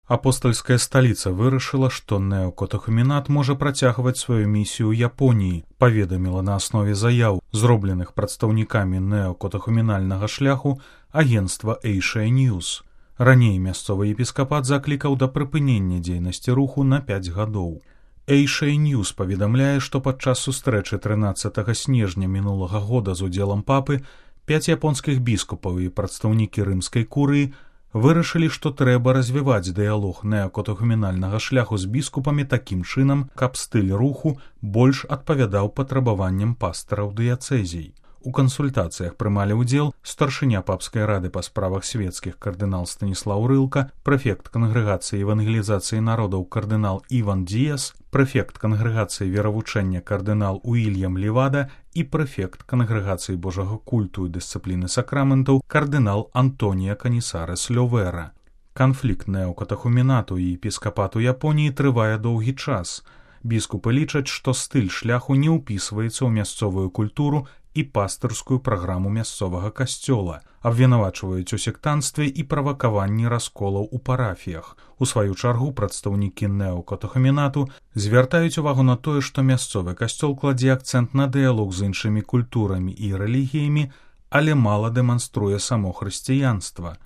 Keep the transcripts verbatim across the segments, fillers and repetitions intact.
Апостальская сталіца вырашыла, што неокатахуменат можа працягваць сваю місію ў Японіі, паведаміла на аснове заяў, зробленых прадстаўнікамі неокатахуменальнага шляху агенцтва Asia News. Раней мясцовы епіскапат заклікаў да прыпынення дзейнасці руху на пяць гадоў. Asia News паведамляе, што падчас сустрэчы трынаццатага снежня мінулага года з удзелам папы пяць японскіх біскупаў і прадстаўнікі рымскай курыі вырашылі, што трэба развіваць дыялог неокатахуменальнага шляху з біскупамі такім чынам, каб стыль руху больш адпавядаў патрабаванням пастыраў дыяцэзій. У кансультацыях прымалі ўдзел старшыня папскай рады па справах свецкіх кардынал Станіслаў Рылка, прэфект кангрэгацыі евангелізацыі народаў кардынал Іван Діяс, прэфект кангрэгацыі веравучэння кардынал Уільям Левада і прэфект кангрэгацыі божага культу і дысцыпліны сакраментаў кардынал Антонія Канісарес Лёвера. Канфлікт неокатахуменату і епіскапату Японіі трывае доўгі час. Біскупы лічаць, што стыль шляху не ўпісваецца ў мясцовую культуру і пастырскую праграму мясцовага касцёла, абвінавачваюць у сектанстве і правакаванні расколаў у парафіях. У сваю чаргу прадстаўнікі неокатахуменату звяртаюць увагу на тое, што мясцовы касцёл кладзе акцэнт на дыялог з іншымі культурамі і рэлігіямі, але мала дэманструе само хрысціянства.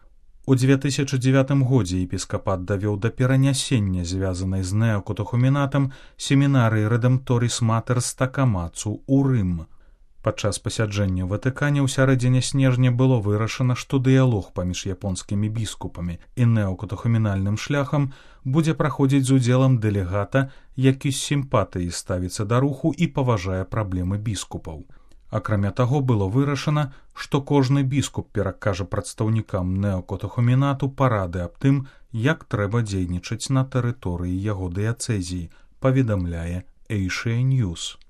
У дзве тысячы дзевятым годзе епіскапат давёў да перанясення, звязанай з неокатахуменатам, семінарыі Рэдэмпторіс Матерс Такамацу ў Рым. Падчас пасяджэння ў Ватыкане ў сярэдзіне снежня было вырашана, што дыялог паміж японскімі біскупамі і неокатахуменальным шляхам будзе праходзіць з удзелам дэлегата, які з сімпатыяй ставіцца да руху і паважае праблемы біскупаў. Акрамя таго, было вырашана, што кожны біскуп перакажа прадстаўнікам неокатахуменату парады аб тым, як трэба дзейнічаць на тэрыторыі яго дыяцэзіі, паведамляе Asia News.